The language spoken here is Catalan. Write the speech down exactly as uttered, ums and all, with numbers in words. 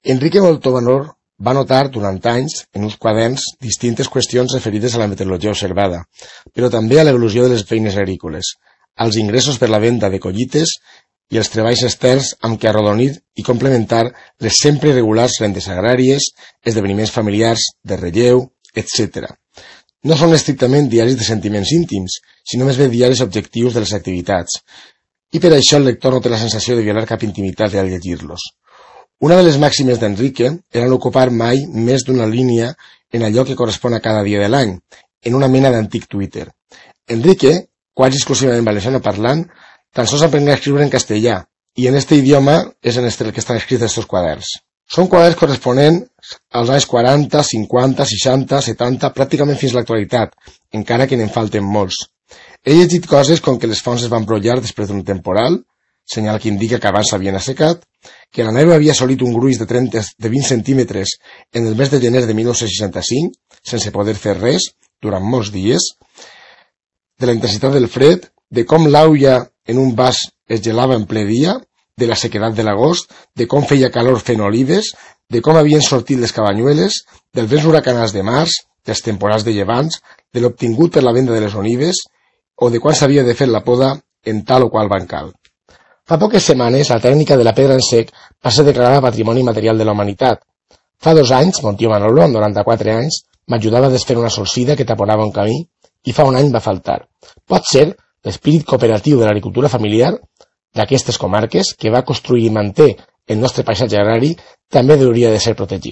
Enrique Moltó-Vanor va notar durant anys en uns quaderns distintes qüestions referides a la meteorologia observada, però també a l'evolució de les feines agrícoles, als ingressos per la venda de collites i els treballs externs amb què arrodonir i complementar les sempre irregulars rendes agràries, esdeveniments familiars, de relleu, etcètera. No són estrictament diaris de sentiments íntims, sinó més bé diaris objectius de les activitats, i per això el lector no té la sensació de violar cap intimitat al llegir-los. Una de les màximes d'Enrique era no ocupar mai més d'una línia en allò que correspon a cada dia de l'any, en una mena d'antic Twitter. Enrique, quasi exclusivament valenciano parlant, tan sols aprendrà a escriure en castellà, i en este idioma és en este el que estan escrits estos quaderns. Són quaderns corresponents als anys quaranta, cinquanta, seixanta, setanta, pràcticament fins a l'actualitat, encara que n'en falten molts. He llegit coses com que les fonts es van brollar després d'un temporal, senyal que indica que abans s'havien assecat, que la neu havia assolit un gruix de, trenta, de vint centímetres en el mes de gener de mil nou-cents seixanta-cinc, sense poder fer res, durant molts dies, de la intensitat del fred, de com l'aulla en un vas es gelava en ple dia, de la sequedat de l'agost, de com feia calor fent olives, de com havien sortit les cabanyueles, dels vents huracanats de març, dels temporals de llevants, de l'obtingut per la venda de les olives, o de quan s'havia de fer la poda en tal o qual bancal. Fa poques setmanes, la tècnica de la pedra en sec va ser declarada Patrimoni Material de la Humanitat. Fa dos anys, mon tio Manolo, amb noranta-quatre anys, m'ajudava a desfer una solsida que taponava un camí, i fa un any va faltar. Pot ser l'espírit cooperatiu de l'agricultura familiar d'aquestes comarques, que va construir i manté el nostre paisatge agrari, també hauria de ser protegit.